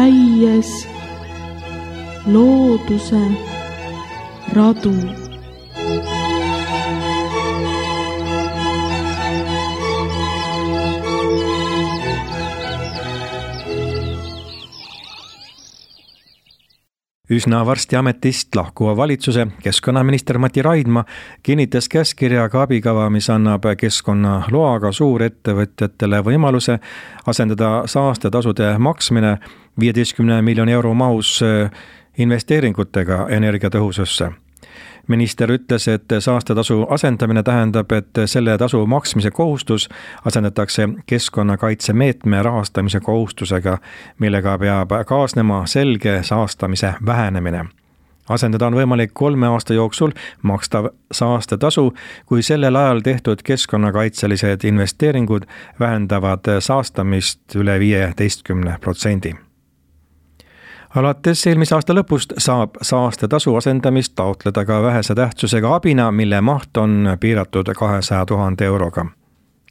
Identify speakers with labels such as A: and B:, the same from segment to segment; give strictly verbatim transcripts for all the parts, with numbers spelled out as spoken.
A: käies looduse radu.
B: Üsna varsti ametist lahkuva valitsuse keskkonnaminister Mati Raidma kinnitas käskkirjaga abikava, mis annab keskkonnaloaga suurettevõtjatele võimaluse asendada saastetasude maksmine viieteistkümne miljoni euro mahus investeeringutega energiatõhususse. Minister ütles, et saastetasu asendamine tähendab, et selle tasu maksmise kohustus asendatakse keskkonnakaitsemeetme rahastamise kohustusega, millega peab kaasnema selge saastamise vähenemine. Asendada on võimalik kolme aasta jooksul makstav saastetasu, kui sellel ajal tehtud keskkonnakaitselised investeeringud vähendavad saastamist üle viieteistkümne protsendi. Alates eelmise aasta lõpust saab saastetasu asendamist taotleda ka vähese tähtsusega abina, mille maht on piiratud kahesaja tuhande euroga.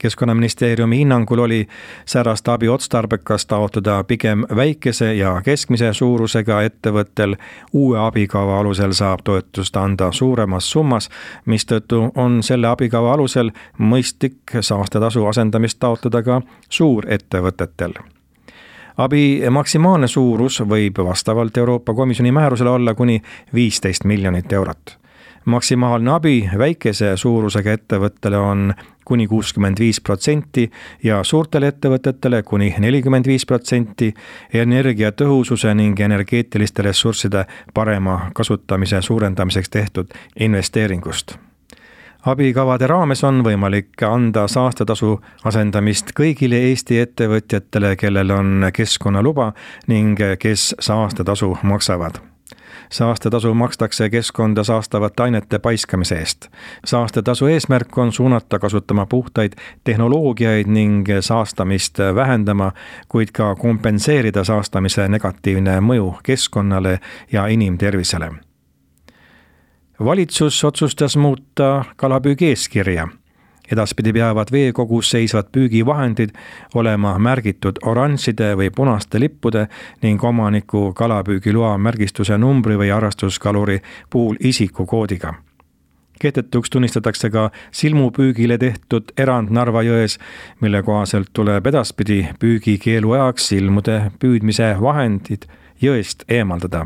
B: Keskkonnaministeeriumi hinnangul oli säärast abi otstarbekas taotleda pigem väikese ja keskmise suurusega ettevõttel. Uue abikava alusel saab toetust anda suuremas summas, mistõttu on selle abikava alusel mõistlik saastetasu asendamist taotleda ka suurettevõtetel. Abi maksimaalne suurus võib vastavalt Euroopa Komisjoni määrusele olla kuni viisteist miljonit eurot. Maksimaalne abi väikese suurusega ettevõttele on kuni kuuskümmend viis protsenti ja suurtele ettevõtetele kuni nelikümmend viis protsenti energiatõhususe ning energeetiliste ressursside parema kasutamise suurendamiseks tehtud investeeringust. Abikavade raames on võimalik anda saastetasu asendamist kõigile Eesti ettevõtjatele, kellel on keskkonnaluba ning kes saastetasu maksavad. Saastetasu makstakse keskkonda saastavate ainete paiskamise eest. Saastetasu eesmärk on suunata kasutama puhtaid tehnoloogiaid ning saastamist vähendama, kuid ka kompenseerida saastamise negatiivne mõju keskkonnale ja inimtervisele. Valitsus otsustas muuta kalapüügi eeskirja. Edaspidi peavad veekogus seisvad püügivahendid olema märgitud oranžide või punaste lippude ning omaniku kalapüügiloa märgistuse numbri või harrastuskaluri puhul isikukoodiga. Kehtetuks tunnistatakse ka silmupüügile tehtud erand Narva jões, mille kohaselt tuleb edaspidi püügikeelu ajaks silmude püüdmise vahendid jõest eemaldada.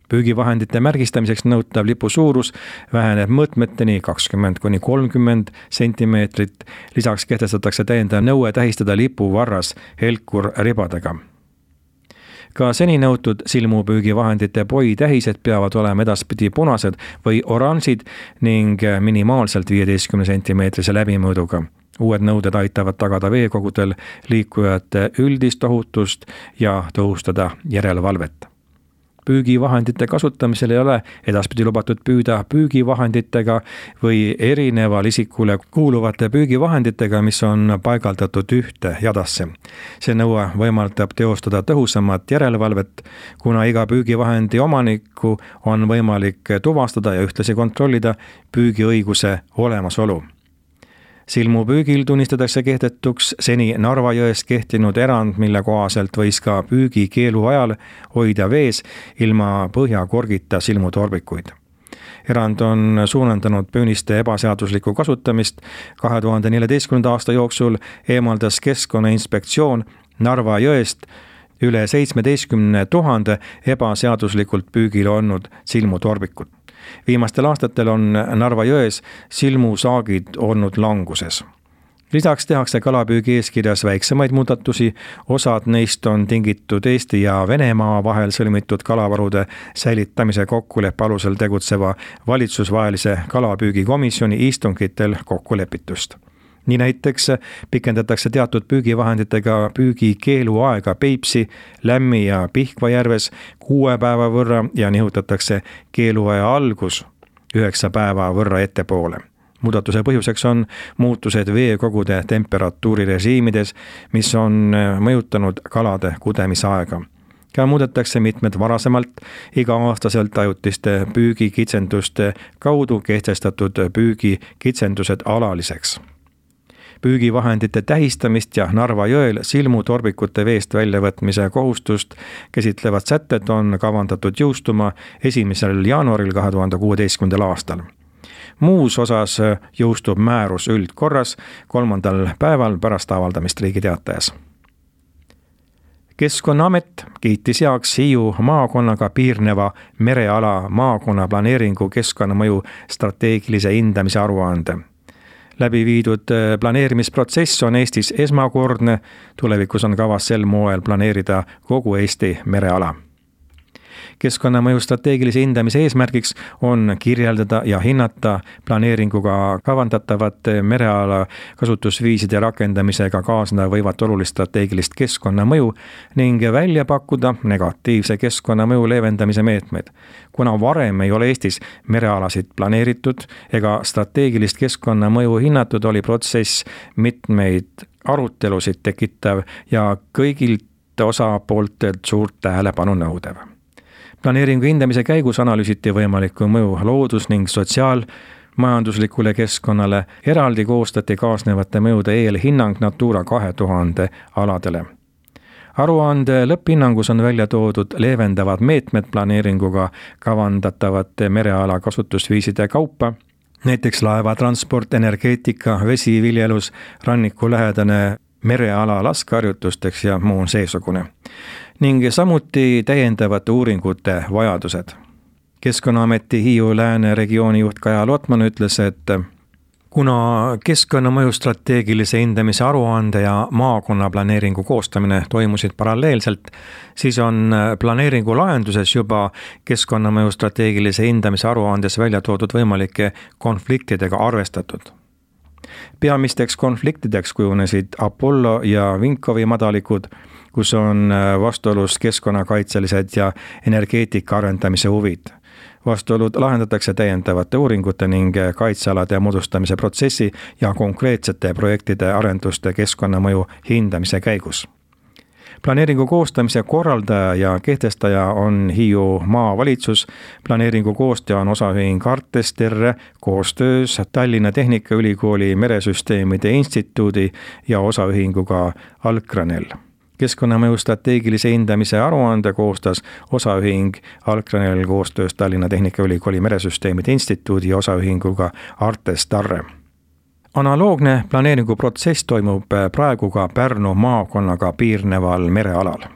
B: Püügivahendite märgistamiseks nõutav lipu suurus väheneb mõõtmeteni kakskümmend kuni kolmkümmend sentimeetrit. Lisaks kehtestatakse täiendav nõue tähistada lipu varras helkur ribadega. Ka seni nõutud silmupüügivahendite poitähised peavad olema edaspidi punased või oranžid ning minimaalselt viieteistkümne sentimeetrise läbimõõduga. Uued nõuded aitavad tagada veekogudel liikujate üldist ohutust ja tõhustada järelevalvet. Püügivahendite kasutamisel ei ole edaspidi lubatud püüda püügivahenditega või erineval isikule kuuluvate püügivahenditega, mis on paigaldatud ühte jadasse. See nõue võimaldab teostada tõhusamat järelevalvet, kuna iga püügivahendi omanikku on võimalik tuvastada ja ühtlasi kontrollida püügiõiguse olemasolu. Silmupüügil tunnistatakse kehtetuks seni Narva jões kehtinud erand, mille kohaselt võis ka püügikeelu ajal hoida vees ilma põhjakorgita silmutorbikuid. Erand on suunandanud püüniste ebaseaduslikku kasutamist. kahe tuhande neljateistkümnenda aasta jooksul eemaldas Keskkonnainspektsioon Narva jõest üle seitsmeteistkümne tuhande ebaseaduslikult püügil olnud silmutorbikut. Viimastel aastatel on Narva jões silmusaagid olnud languses. Lisaks tehakse kalapüügi eeskirjas väiksemaid muudatusi, osad neist on tingitud Eesti ja Venemaa vahel sõlmitud kalavarude säilitamise kokkuleppe alusel tegutseva valitsusvahelise kalapüügikomisjoni istungitel kokkulepitust. Nii näiteks pikendatakse teatud püügivahenditega püügikeelu aega Peipsi, Lämmi ja Pihkva järves kuue päeva võrra ja nihutatakse keeluaja algus üheksa päeva võrra ettepoole. Muudatuse põhjuseks on muutused veekogude temperatuurirežiimides, mis on mõjutanud kalade kudemisaega. Ka muudetakse mitmed varasemalt iga-aastaselt ajutiste püügikitsenduste kaudu kehtestatud püügikitsendused alaliseks. Püügivahendite tähistamist ja Narva jõel silmutorbikute veest väljavõtmise kohustust käsitlevad sätted on kavandatud jõustuma esimesel jaanuaril kahe tuhande kuueteistkümnendal aastal. Muus osas jõustub määrus üldkorras kolmandal päeval pärast avaldamist Riigi Teatajas. Keskkonnaamet kiitis heaks Hiiu maakonnaga piirneva mereala maakonna planeeringu keskkonnamõju strateegilise hindamise aruande. Läbi viidud planeerimisprotsess on Eestis esmakordne, tulevikus on kavas sel moel planeerida kogu Eesti mereala. Keskkonnamõju strateegilise hindamise eesmärgiks on kirjeldada ja hinnata planeeringuga kavandatavate mereala kasutusviiside rakendamisega kaasneda võivat olulist strateegilist keskkonnamõju ning välja pakkuda negatiivse keskkonnamõju leevendamise meetmeid. Kuna varem ei ole Eestis merealasid planeeritud ega strateegilist keskkonnamõju hinnatud, oli protsess mitmeid arutelusid tekitav ja kõigilt osapooltelt suurt tähelepanu nõudev. Planeeringu hindamise käigus analüüsiti võimalikku mõju loodus- ning sotsiaalmajanduslikule keskkonnale, eraldi koostati kaasnevate mõjude eelhinnang Natura kahe tuhande aladele. Aruande lõpphinnangus on välja toodud leevendavad meetmed planeeringuga kavandatavate mereala kasutusviiside kaupa, näiteks laevatransport, energeetika, vesiviljelus, rannikulähedane mereala laskeharjutusteks ja muu seesugune. Ning samuti täiendavate uuringute vajadused. Keskkonnaameti Hiiu Lääne regiooni juht Kaja Lotman ütles, et kuna keskkonnamõju strateegilise hindamise aruande ja maakonnaplaneeringu koostamine toimusid paralleelselt, siis on planeeringu lahenduses juba keskkonnamõju strateegilise hindamise aruandes välja toodud võimalike konfliktidega arvestatud. Peamisteks konfliktideks kujunesid Apollo ja Vinkovi madalikud, kus on vastuolus keskkonnakaitselised ja energeetika arendamise huvid. Vastuolud lahendatakse täiendavate uuringute ning kaitsealade moodustamise protsessi ja konkreetsete projektide arenduste keskkonnamõju hindamise käigus. Planeeringu koostamise korraldaja ja kehtestaja on Hiiu maavalitsus. Planeeringu koostaja on osaühing Artesterre koostöös Tallinna Tehnikaülikooli Meresüsteemide Instituudi ja osaühinguga Alkranel. Keskkonnamõju strateegilise hindamise aruande koostas osaühing Alkranel koostöös Tallinna Tehnikaülikooli Meresüsteemide Instituudi ja osaühinguga Artestarre. Analoogne planeeringuprotsess toimub praegu ka Pärnu maakonnaga piirneval merealal.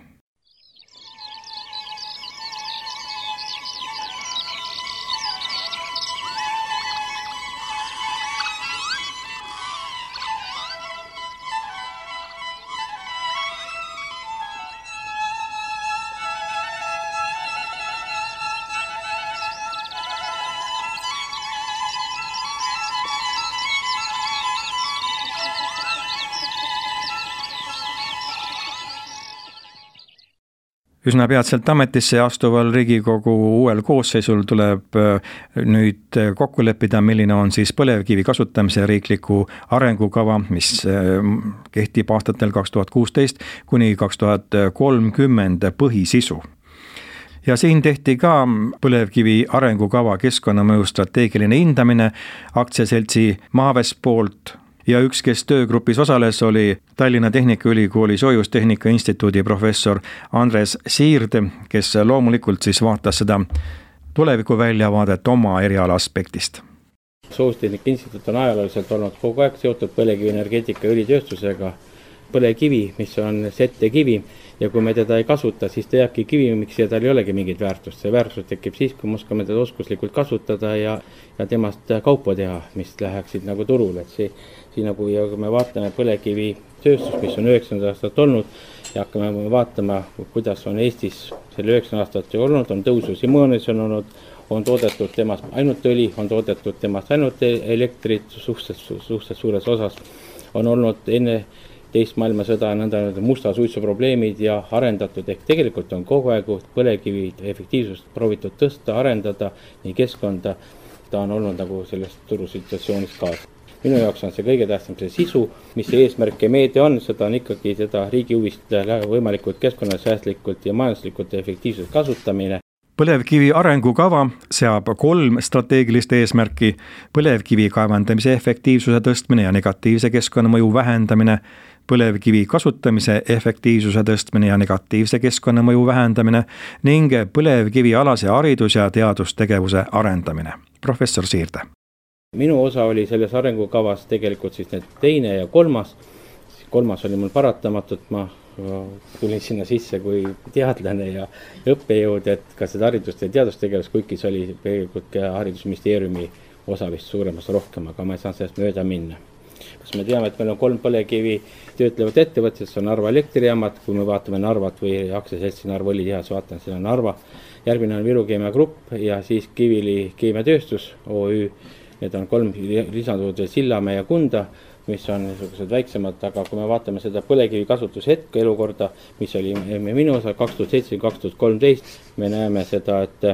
B: Üsna peatselt ametisse astuval Riigikogu uuel koosseisul tuleb nüüd kokku leppida, milline on siis põlevkivi kasutamise riikliku arengukava, mis kehtib aastatel kaks tuhat kuusteist kuni kaks tuhat kolmkümmend põhisisu. Ja siin tehti ka põlevkivi arengukava keskkonnamõju strateegiline hindamine aktsiaseltsi Maaves poolt. Ja üks, kes töögrupis osales, oli Tallinna Tehnikaülikooli Soojustehnika Instituudi professor Andres Siird, kes loomulikult siis vaatas seda tuleviku väljavaadet oma eriala aspektist.
C: Soojustehnika Instituut on ajalooliselt olnud kogu aeg seotud põlevkivi energeetika ja õlitööstusega. Põlevkivi, mis on settekivi, ja kui me teda ei kasuta, siis ta jääbki kivimiks ja tal ei olegi mingit väärtust. See väärtus tekib siis, kui me oskame teda oskuslikult kasutada ja, ja temast kaupa teha, mis läheksid nagu turul. Et see, siin nagu, ja kui me vaatame põlevkivi tööstus, mis on üheksakümmend aastat olnud, ja hakkame vaatama, kuidas on Eestis selle üheksakümmend aastat olnud, on tõusu Simonis on olnud, on toodetud temast ainult õli, on toodetud temast ainult elektrit suhteliselt, suhteliselt suures osas, on olnud enne teist maailmasõda nõnda musta suitsu probleemid ja arendatud, ehk tegelikult on kogu aeg põlevkivi efektiivsust proovitud tõsta, arendada nii keskkonda, ta on olnud nagu selles turusituatsioonis kaasa. Minu jaoks on see kõige tähtsam see sisu, mis see eesmärk ja meede on, seda on ikkagi seda riigi huvist võimalikult keskkonnasäästlikult ja majanduslikult efektiivselt kasutamine.
B: Põlevkivi arengukava seab kolm strateegilist eesmärki: põlevkivi kaevandamise efektiivsuse tõstmine ja negatiivse keskkonnamõju vähendamine, põlevkivi kasutamise efektiivsuse tõstmine ja negatiivse keskkonnamõju vähendamine ning põlevkivi alase haridus- ja teadustegevuse arendamine. Professor Siirde.
C: Minu osa oli selles arengukavas tegelikult siis need teine ja kolmas. Kolmas oli mul paratamatult, ma tulin sinna sisse kui teadlane ja õppejõud, et ka seda haridust- ja teadustegevus, kuigi see oli tegelikult ka haridusministeeriumi osa vist suuremas rohkem, aga ma ei saanud sellest mööda minna. Kas me teame, et meil on kolm põlevkivi töötlevat ettevõtted, see on Narva elektrijaamad, kui me vaatame Narvat või aktsiaseltsi Narva õlitehas, vaatan, siin on Narva, järgmine on Viru Keemia Grupp ja siis Kivili Keemiatööstus O Ü, need on kolm lisandunud veel Sillamäe ja Kunda, mis on niisugused väiksemad, aga kui me vaatame seda põlevkivi kasutuse hetke elukorda, mis oli minu osa kaks tuhat seitse kaks tuhat kolmteist, me näeme seda, et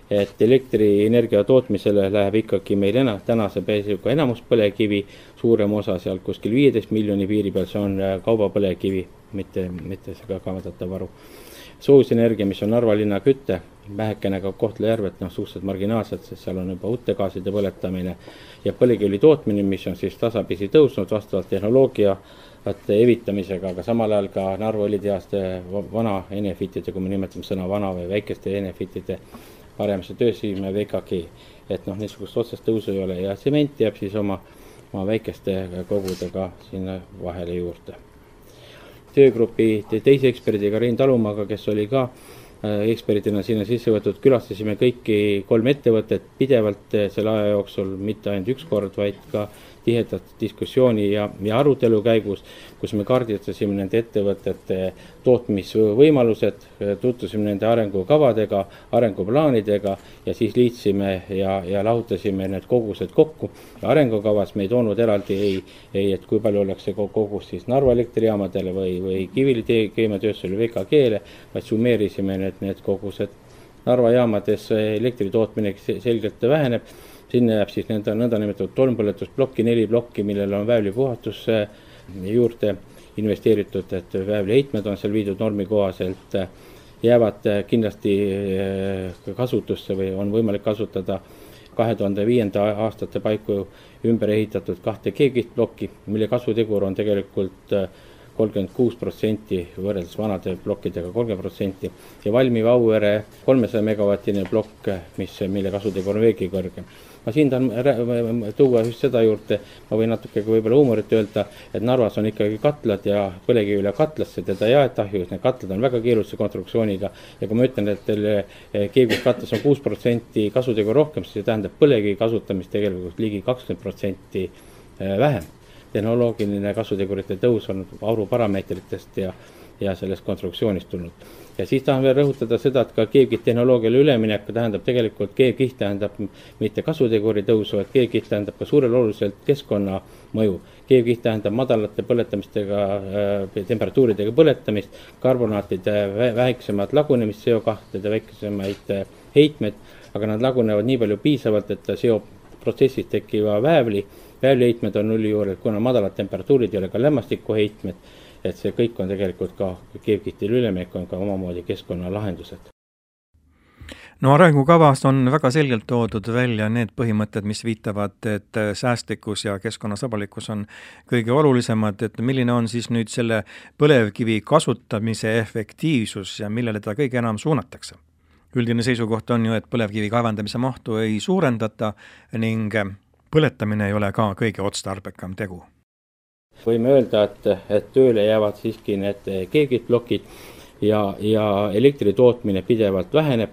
C: et elektrienergia tootmisele läheb ikkagi meil ena, tänase peisuga enamus põlevkivi, suurem osa seal kuskil viieteist miljoni piiri peal, see on kaubapõlevkivi, mitte, mitte see kavandatav varu. Soojusenergia, mis on Narva linna kütte, vähekene ka Kohtla-Järvet, noh, suhteliselt marginaalselt, sest seal on juba utegaaside põletamine ja põlevkivi tootmine, mis on siis tasapisi tõusnud vastavalt tehnoloogia evitamisega, aga samal ajal ka Narva õlitehaste vana Enefitide, kui me nimetame sõna vana või väikeste Enefitide paremasse töösime V K G, et noh, niisugust otsest tõusu ei ole ja tsement jääb siis oma, oma väikeste kogudega sinna vahele juurde. Töögrupi teise eksperdiga Rein Talumaaga, kes oli ka eksperdina sinna sisse võtud, külastasime kõiki kolm ettevõtet pidevalt selle aja jooksul, mitte ainult üks kord, vaid ka tihedat diskussiooni ja, ja arutelu käigus, kus me kaardistasime nende ettevõtete tootmisvõimalused, tutvusime nende arengukavadega, arenguplaanidega ja siis liitsime ja, ja lahutasime need kogused kokku. Ja arengukavas me ei toonud eraldi ei, ei, et kui palju oleks see kogus siis Narva elektrijaamadele või, või Kivili keemiatööstusele V K G-le, vaid summeerisime need, need kogused. Narva jaamades elektri tootmine selgelt väheneb. Sinna jääb siis nende nõndanimetatud tolmpõletusplokki, neli plokki, millel on väävlipuhastus juurde investeeritud, et väävliheitmed on seal viidud normi kohaselt, jäävad kindlasti kasutusse või on võimalik kasutada kahe tuhande viienda aastate paiku ümber ehitatud kahte G-kihtplokki, mille kasvutegur on tegelikult kolmkümmend kuus protsenti võrreldes vanade plokkidega kolmkümmend protsenti ja valmiv Auvere kolmesaja megavatine plokk, mis, mille kasutegur on veelgi kõrgem. Ma siin tahan tuua just seda juurde, ma võin natuke võib-olla huumorit öelda, et Narvas on ikkagi katlad ja põlevkivile katlasse teda ei aeta ahju, need katlad on väga keerulise konstruktsiooniga ja kui ma ütlen, et teil keegus katlas on kuus protsenti kasutegur rohkem, siis see tähendab põlevkivi kasutamist tegelikult ligi kakskümmend protsenti vähem. Tehnoloogiline kasutegurite tõus on auruparameetritest ja, ja sellest konstruktsioonist tulnud. Ja siis tahan veel rõhutada seda, et ka keevkiht tehnoloogiale üleminek tähendab tegelikult, keevkiht tähendab mitte kasuteguri tõusu, et keevkiht tähendab ka suurel oluliselt keskkonna mõju. Keevkiht tähendab madalate põletamistega, temperatuuridega põletamist, karbonaatide väiksemad lagunemist, C O kahtede väiksemaid heitmed, aga nad lagunevad nii palju piisavalt, et ta seob protsessis tekkiva väävli. Väävliheitmed on nulli juures, kuna madalad temperatuurid ei ole ka lämmastikuheitmed, et see kõik on tegelikult ka keevkihtil üleminek on ka omamoodi keskkonnalahendused.
B: No arengukavas on väga selgelt toodud välja need põhimõtted, mis viitavad, et säästlikkus ja keskkonnasõbralikkus on kõige olulisemad, et milline on siis nüüd selle põlevkivi kasutamise efektiivsus ja millele ta kõige enam suunatakse. Üldine seisukoht on ju, et põlevkivi kaevandamise mahtu ei suurendata ning põletamine ei ole ka kõige otstarbekam tegu.
C: Võime öelda, et, et tööle jäävad siiski need keevkihtplokid ja, ja elektri tootmine pidevalt väheneb,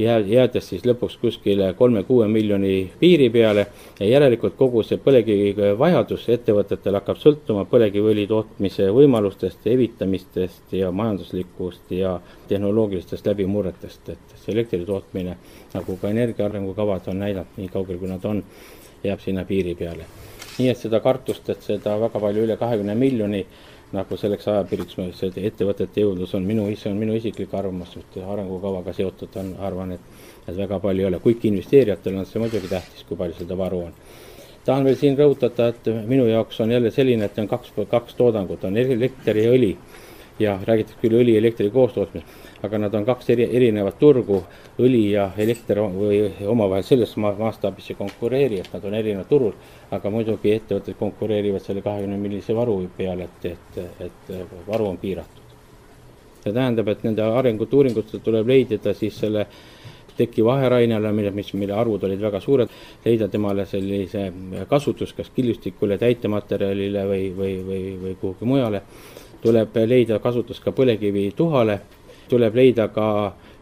C: jäädes siis lõpuks kuskile kolme kuue miljoni piiri peale ja järelikult kogu see põlevkivi vajadus ettevõtetel hakkab sõltuma põlevkiviõli tootmise võimalustest, evitamistest ja majanduslikust ja tehnoloogilistest läbimurretest, et see elektri tootmine, nagu ka energia arengukavad on näidanud nii kaugel, kui nad on, jääb sinna piiri peale. Nii et seda kartust, et seda väga palju üle kahekümne miljoni, nagu selleks ajapiiriks see ettevõtete jõudlus on, minu, see on minu isiklik arvamus, et arengukavaga seotud on, arvan, et, et väga palju ei ole. Kuigi investeerijatel on see muidugi tähtis, kui palju seda varu on. Tahan veel siin rõhutada, et minu jaoks on jälle selline, et on kaks, kaks toodangut, on elekter ja õli. ja räägitakse küll õli ja elektri koostootmisest, aga nad on kaks eri, erinevat turgu, õli ja elekter või omavahel selles mastaabis ei konkureeri, et nad on erinevad turul, aga muidugi ettevõtted konkureerivad selle kahekümne millise varu peale, et, et, et varu on piiratud. See tähendab, et nende arengut uuringutele tuleb leidida siis selle teki vaherainele, mis, mille arvud olid väga suured, leida temale sellise kasutus, kas killustikule, täitematerjalile või, või, või, või kuhugi mujale. Tuleb leida kasutus ka põlekivi tuhale, tuleb leida ka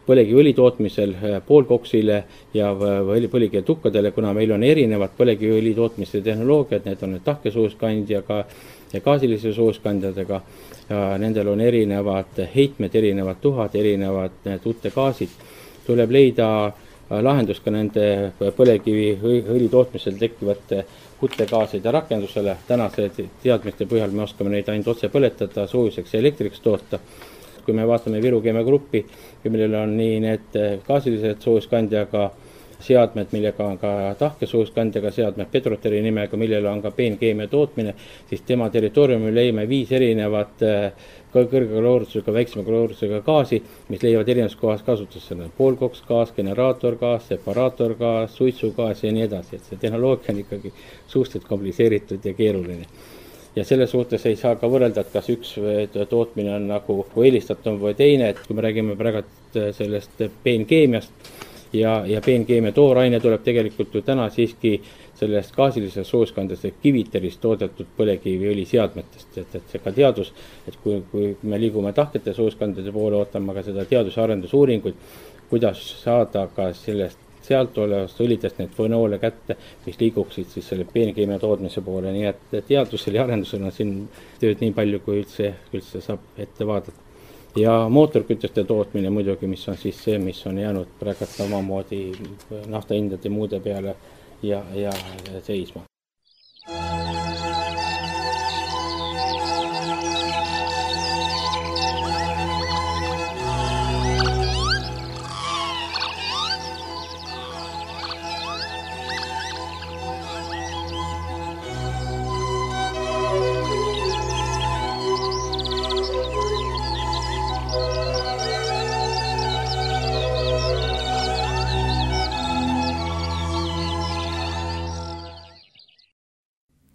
C: põlekiviõli tootmisel poolkoksile ja põlekivi tukkadele, kuna meil on erinevad põlekiviõli tootmise tehnoloogiad, need on tahkesuuskandjaga ja gaasilise suuskandjadega. Ja nendel on erinevad heitmed, erinevad tuhad, erinevad tuutegaasid. Tuleb leida lahendus ka nende põlekivi õli tootmisel tekkivate kutegaasid ja rakendusele. Tänase teadmiste põhjal me oskame neid ainult otse põletada, soojuseks ja elektriks toota. Kui me vaatame Viru Keemia Gruppi, millel on nii need gaasilised soojuskandjaga seadmed, millega on ka tahkesuuskandjaga seadmed, Petroteri nimega, millel on ka peenkeemia tootmine, siis tema territooriumil leime viis erinevat kõrge kaloorsusega, väiksema kaloorsusega gaasi, mis leiavad erinevas kohas kasutusse. Poolkoksgaas, generaatorgaas, separaatorgaas, suitsugaas ja nii edasi. Et see tehnoloogia on ikkagi suhteliselt kompliseeritud ja keeruline. Ja selle suhtes ei saa ka võrrelda, et kas üks tootmine on nagu eelistatum või teine, et kui me räägime praegu sellest peenkeemiast ja, ja peenkeemia tooraine tuleb tegelikult ju täna siiski sellest gaasilisest soojuskandest ehk kiviterist toodetud põlekiviõli seadmetest, et, et see ka teadus, et kui, kui me liigume tahkete soojuskandade poole, ootame ka seda teadus- ja arendusuuringuid, kuidas saada ka sellest sealt olevast õlidest need fenoole kätte, mis liiguksid siis selle peenkeemia tootmise poole, nii et teadusel ja arendusel on siin tööd nii palju, kui üldse, üldse saab ette vaadata. Ja mootorkütuste tootmine muidugi, mis on siis see, mis on jäänud praegu samamoodi naftahindade muude peale ja, ja seisma.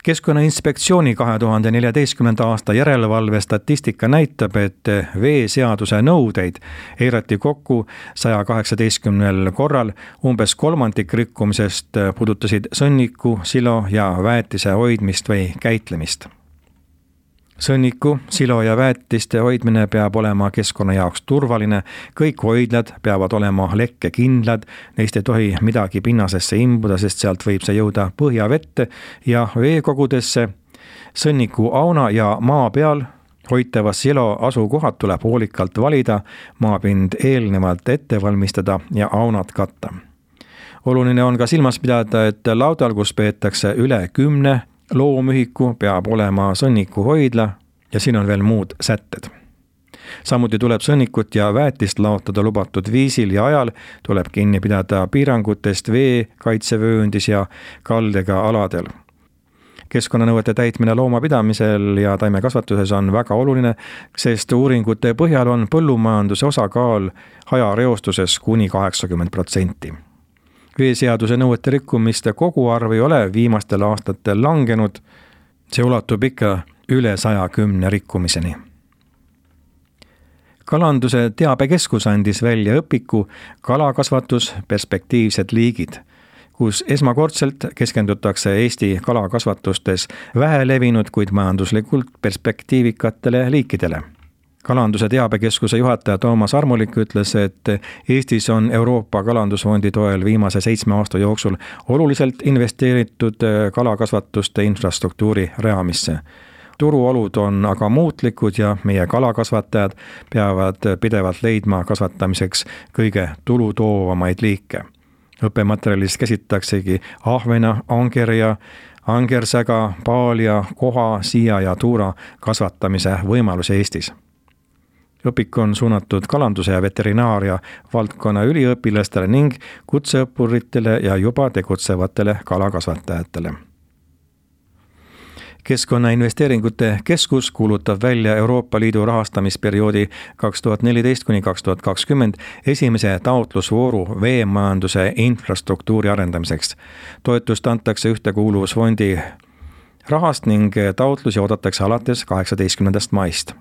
B: Keskkonnainspektsiooni kahe tuhande neljateistkümnenda aasta järelevalve statistika näitab, et veeseaduse nõudeid eirati kokku saja kaheksateistkümnel korral, umbes kolmandik rikkumisest puudutasid sõnniku, silo ja väetise hoidmist või käitlemist. Sõnniku, silo ja väetiste hoidmine peab olema keskkonna jaoks turvaline, kõik hoidlad peavad olema lekkekindlad, neist ei tohi midagi pinnasesse imbuda, sest sealt võib see jõuda põhjavette ja veekogudesse. Sõnniku auna ja maa peal hoitava silo asukohad tuleb hoolikalt valida, maapind eelnevalt ette valmistada ja aunad katta. Oluline on ka silmas pidada, et laudal, kus peetakse üle kümne loomühiku, peab olema sõnniku hoidla ja siin on veel muud sätted. Samuti tuleb sõnnikut ja väetist laotada lubatud viisil ja ajal, tuleb kinni pidada piirangutest vee, kaitsevööndis ja kaldega aladel. Keskkonnanõuete täitmine loomapidamisel ja taimekasvatuses on väga oluline, sest uuringute põhjal on põllumajanduse osakaal hajareostuses kuni kaheksakümmend protsenti. Veeseaduse nõuete rikkumiste koguarv ei ole viimastel aastatel langenud, see ulatub ikka üle saja kümne rikkumiseni. Kalanduse teabekeskus andis välja õpiku kalakasvatus perspektiivsed liigid, kus esmakordselt keskendutakse Eesti kalakasvatustes vähelevinud, kuid majanduslikult perspektiivikatele liikidele. Kalanduse teabekeskuse juhataja Toomas Armulik ütles, et Eestis on Euroopa Kalandusfondi toel viimase seitsme aasta jooksul oluliselt investeeritud kalakasvatuste infrastruktuuri rajamisse. Turuolud on aga muutlikud ja meie kalakasvatajad peavad pidevalt leidma kasvatamiseks kõige tulutoovamaid liike. Õppematerjalis käsitaksegi ahvena, angerja, angersäga, paalja, koha, siia ja tuura kasvatamise võimalus Eestis. Õpik on suunatud kalanduse ja veterinaaria valdkonna üliõpilastele ning kutseõppuritele ja juba tegutsevatele kalakasvatajatele. Keskkonnainvesteeringute Keskus kuulutab välja Euroopa Liidu rahastamisperioodi kaks tuhat neliteist kuni kaks tuhat kakskümmend esimese taotlusvooru veemajanduse infrastruktuuri arendamiseks. Toetust antakse Ühtekuuluvusfondi rahast ning taotlusi oodatakse alates kaheksateistkümnendast maist.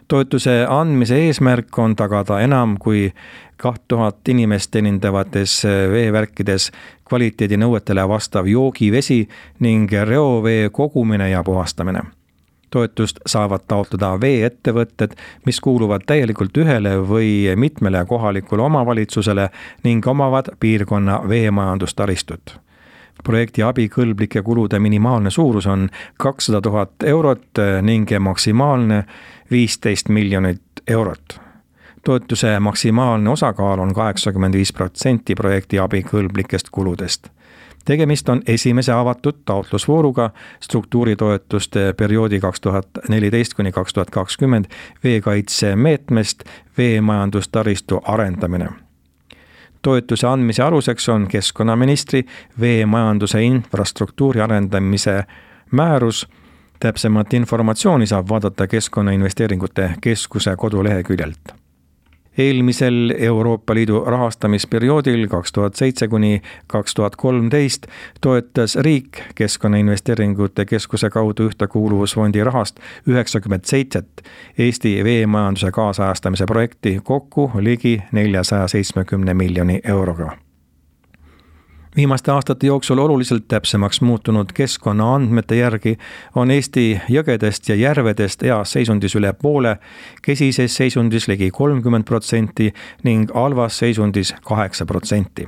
B: Toetuse andmise eesmärk on tagada enam kui kaks tuhat inimest teenindavates veevärkides kvaliteedinõuetele vastav joogivesi ning reovee kogumine ja puhastamine. Toetust saavad taotleda veeettevõtted, mis kuuluvad täielikult ühele või mitmele kohalikule omavalitsusele ning omavad piirkonna veemajandustaristut. Projekti abikõlblike kulude minimaalne suurus on kakssada tuhat eurot ning maksimaalne viisteist miljonit eurot. Toetuse maksimaalne osakaal on kaheksakümmend viis protsenti projekti abikõlblikest kuludest. Tegemist on esimese avatud taotlusvooruga struktuuritoetuste perioodi kaks tuhat neliteist kuni kaks tuhat kakskümmend veekaitse meetmest veemajandustaristu arendamine. Toetuse andmise aluseks on keskkonnaministri veemajanduse infrastruktuuri arendamise määrus. Täpsemat informatsiooni saab vaadata Keskkonnainvesteeringute Keskuse koduleheküljelt. Eelmisel Euroopa Liidu rahastamisperioodil kaks tuhat seitse kuni kaks tuhat kolmteist toetas riik Keskkonnainvesteeringute Keskuse kaudu Ühtekuuluvusfondi rahast üheksakümmend seitse Eesti veemajanduse kaasajastamise projekti kokku ligi neljasada seitsekümmend miljoni euroga. Viimaste aastate jooksul oluliselt täpsemaks muutunud keskkonnaandmete järgi on Eesti jõgedest ja järvedest heas seisundis üle poole, kesises seisundis ligi kolmkümmend protsenti ning halvas seisundis kaheksa protsenti.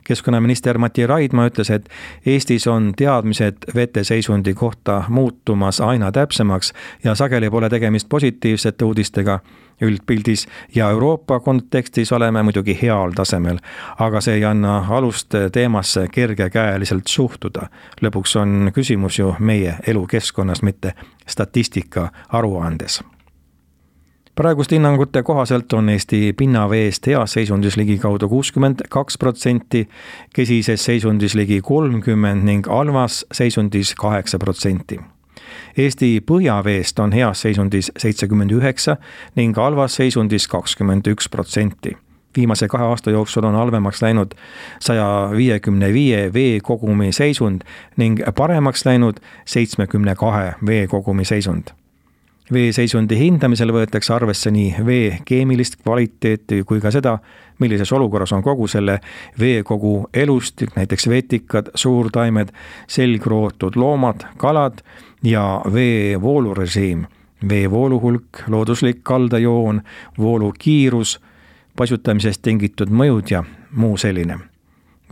B: Keskkonnaminister Mati Raidma ütles, et Eestis on teadmised veteseisundi kohta muutumas aina täpsemaks ja sageli pole tegemist positiivsete uudistega üldpildis ja Euroopa kontekstis oleme muidugi heal tasemel, aga see ei anna alust teemasse kergekäeliselt suhtuda. Lõpuks on küsimus ju meie elukeskkonnas, mitte statistika aruandes. Praeguste hinnangute kohaselt on Eesti pinnaveest heas seisundis ligi kaudu kuuskümmend kaks protsenti, kesises seisundis ligi kolmkümmend ning halvas seisundis kaheksa protsenti. Eesti põhjaveest on heas seisundis seitsekümmend üheksa ning halvas seisundis kakskümmend üks protsenti. Viimase kahe aasta jooksul on halvemaks läinud saja viiekümne viie veekogumi seisund ning paremaks läinud seitsmekümne kahe veekogumi seisund. Veeseisundi hindamisel võetakse arvesse nii vee keemilist kvaliteeti kui ka seda, millises olukorras on kogu selle veekogu elustik, näiteks vetikad, suurtaimed, selgrootud loomad, kalad ja vee voolurežiim, vee vooluhulk, looduslik kaldajoon, voolu kiirus, paisutamisest tingitud mõjud ja muu selline.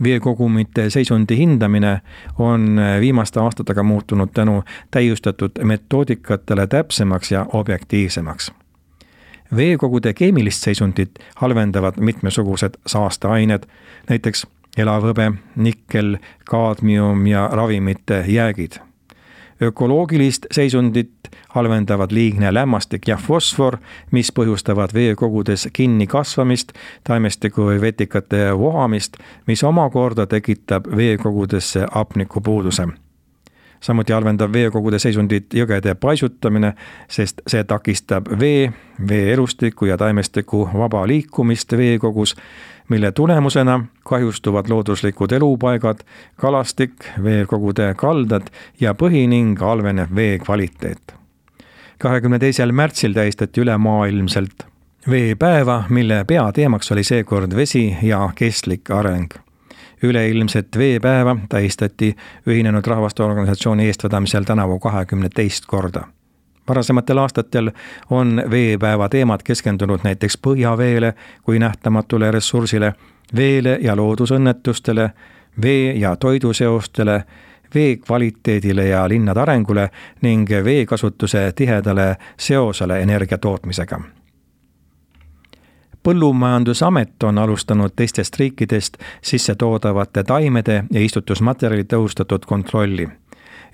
B: Veekogumite seisundi hindamine on viimaste aastatega muutunud tänu täiustatud metoodikatele täpsemaks ja objektiivsemaks. Veekogude keemilist seisundit halvendavad mitmesugused saasteained, näiteks elavhõbe, nikkel, kaadmium ja ravimite jäägid. Ökoloogilist seisundit halvendavad liigne lämmastik ja fosfor, mis põhjustavad veekogudes kinni kasvamist, taimestiku või vetikate vohamist, mis omakorda tekitab veekogudesse hapnikupuuduse. Samuti halvendab veekogude seisundit jõgede paisutamine, sest see takistab vee, veeelustiku ja taimestiku vaba liikumist veekogus, mille tulemusena kahjustuvad looduslikud elupaigad, kalastik, veekogude kaldad ja põhi ning halveneb vee kvaliteet. kahekümne teisel märtsil tähistati ülemaailmselt veepäeva, mille peateemaks oli seekord vesi ja kestlik areng. Üleilmset veepäeva tähistati Ühinenud Rahvaste Organisatsiooni eestvedamisel tänavu kahekümne teist korda. Varasematel aastatel on veepäeva teemad keskendunud näiteks põhjaveele kui nähtamatule ressursile, veele ja loodusõnnetustele, vee ja toiduseostele, vee kvaliteedile ja linnade arengule ning veekasutuse tihedale seosele energia tootmisega. Põllumajandusamet on alustanud teistest riikidest sisse toodavate taimede ja istutusmaterjali tõhustatud kontrolli.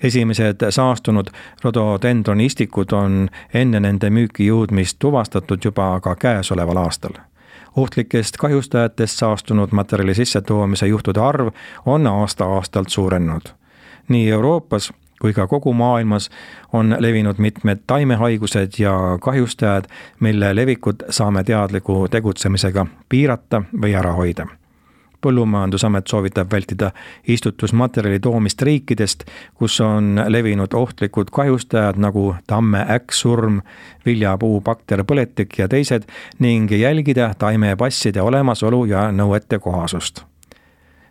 B: Esimesed saastunud rododendronistikud on enne nende müüki jõudmist tuvastatud juba ka käesoleval aastal. Ohtlikest kahjustajatest saastunud materjali sissetoomise juhtude arv on aasta-aastalt suurenenud. Nii Euroopas kui ka kogu maailmas on levinud mitmed taimehaigused ja kahjustajad, mille levikut saame teadliku tegutsemisega piirata või ära hoida. Põllumajandusamet soovitab vältida istutusmaterjali toomist riikidest, kus on levinud ohtlikud kahjustajad nagu tamme äkksurm, viljapuu bakterpõletik ja teised ning jälgida taimepasside olemasolu ja nõuete kohasust.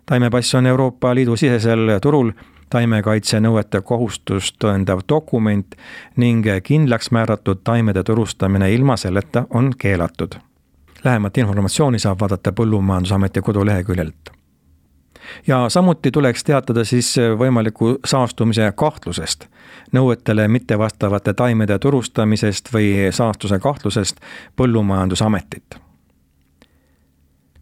B: Taimepass on Euroopa Liidu sisesel turul taimekaitse nõuete kohustust tõendav dokument ning kindlaks määratud taimede turustamine ilma selleta on keelatud. Lähemat informatsiooni saab vaadata Põllumajandusameti koduleheküljelt. Ja samuti tuleks teatada siis võimaliku saastumise kahtlusest, nõuetele mittevastavate taimede turustamisest või saastuse kahtlusest Põllumajandusametit.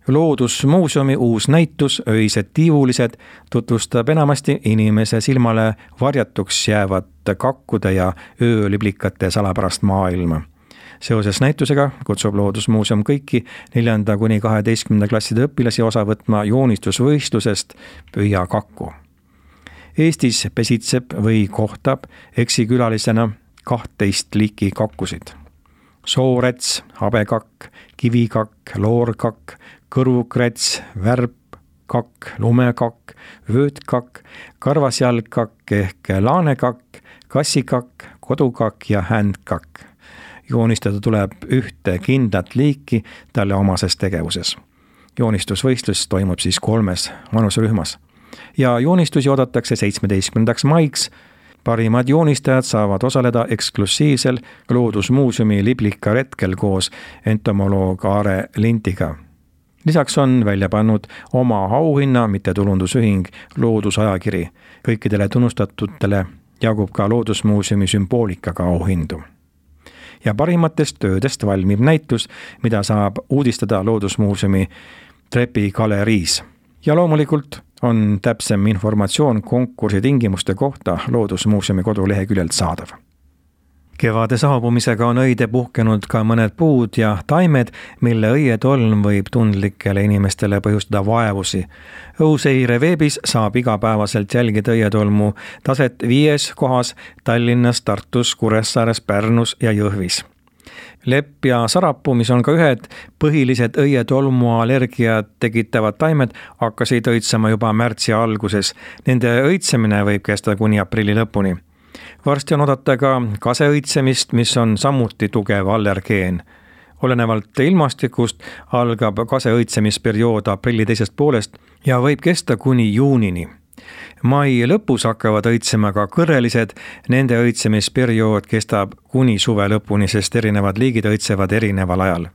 B: Loodusmuuseumi uus näitus Öised tiivulised tutvustab enamasti inimese silmale varjatuks jäävat kakkude ja ööliblikate salapärast maailma. Seoses näitusega kutsub Loodusmuuseum kõiki neljanda kuni kaheteistkümnenda klasside õpilasi osa võtma joonistusvõistlusest Püüa kakku. Eestis pesitseb või kohtab eksikülalisena kahtteist liiki kakkusid. Soorets, habekakk, kivikakk, loorkakk, kõrvukrets, värpkakk, lumekakk, vöötkakk, karvasjalgkakk ehk laanekakk, kassikakk, kodukakk ja händkakk. Joonistada tuleb ühte kindlat liiki talle omases tegevuses. Joonistusvõistlus toimub siis kolmes vanuserühmas. Ja joonistusi oodatakse seitsmeteistkümnendaks maiks. Parimad joonistajad saavad osaleda eksklusiivsel Loodusmuuseumi liblikaretkel koos entomoloog Aare Lintiga. Lisaks on välja pannud oma auhinna mittetulundusühing Loodusajakiri. Kõikidele tunnustatutele jagub ka Loodusmuuseumi sümboolikaga auhindu. Ja parimatest töödest valmib näitus, mida saab uudistada Loodusmuuseumi trepigaleriis. Ja loomulikult on täpsem informatsioon konkursi tingimuste kohta Loodusmuuseumi koduleheküljelt saadav. Kevade saabumisega on õide puhkenud ka mõned puud ja taimed, mille õietolm võib tundlikele inimestele põhjustada vaevusi. Õuseire veebis saab igapäevaselt jälgida õietolmu taset viies kohas Tallinnas, Tartus, Kuressaares, Pärnus ja Jõhvis. Lepp ja sarapuu, mis on ka ühed põhilised õietolmu allergiat tekitavad taimed, hakkasid õitsema juba märtsi alguses. Nende õitsemine võib kesta kuni aprilli lõpuni. Varsti on oodata ka kaseõitsemist, mis on samuti tugev allergeen. Olenevalt ilmastikust algab kaseõitsemisperiood aprilli teisest poolest ja võib kesta kuni juunini. Mai lõpus hakkavad õitsema ka kõrrelised, nende õitsemisperiood kestab kuni suve lõpuni, sest erinevad liigid õitsevad erineval ajal.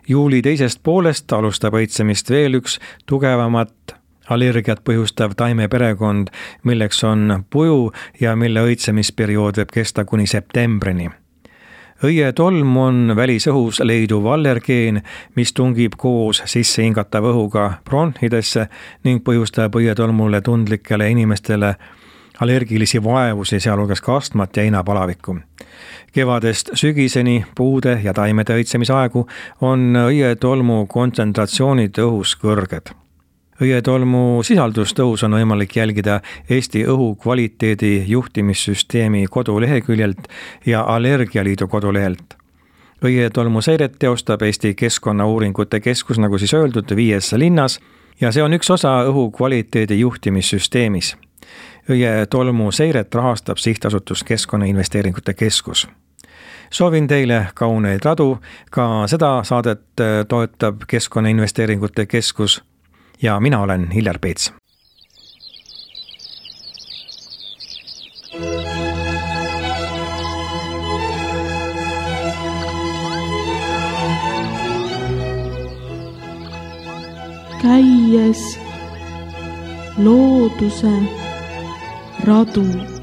B: Juuli teisest poolest alustab õitsemist veel üks tugevamat allergiat põhjustav taimeperekond, milleks on puju ja mille õitsemisperiood võib kesta kuni septembrini. Õietolm on välisõhus leiduv allergeen, mis tungib koos sisse hingatava õhuga bronhidesse ning põhjustab õietolmule tundlikele inimestele allergilisi vaevusi, sealhulgas ka astmat ja inapalavikku. Kevadest sügiseni puude ja taimede õitsemisaegu on õietolmu kontsentratsioonid õhus kõrged. Õietolmu sisaldust õhus on võimalik jälgida Eesti õhu kvaliteedi juhtimissüsteemi koduleheküljelt ja Allergialiidu kodulehelt. Õietolmu seiret teostab Eesti Keskkonnauuringute Keskus, nagu siis öeldud, viies linnas ja see on üks osa õhu kvaliteedi juhtimissüsteemis. Õietolmu seiret rahastab sihtasutus Keskkonnainvesteeringute Keskus. Soovin teile kauneid radu, ka seda saadet toetab Keskkonnainvesteeringute Keskus. Ja mina olen Hiljar Peets.
A: Käies looduse radu.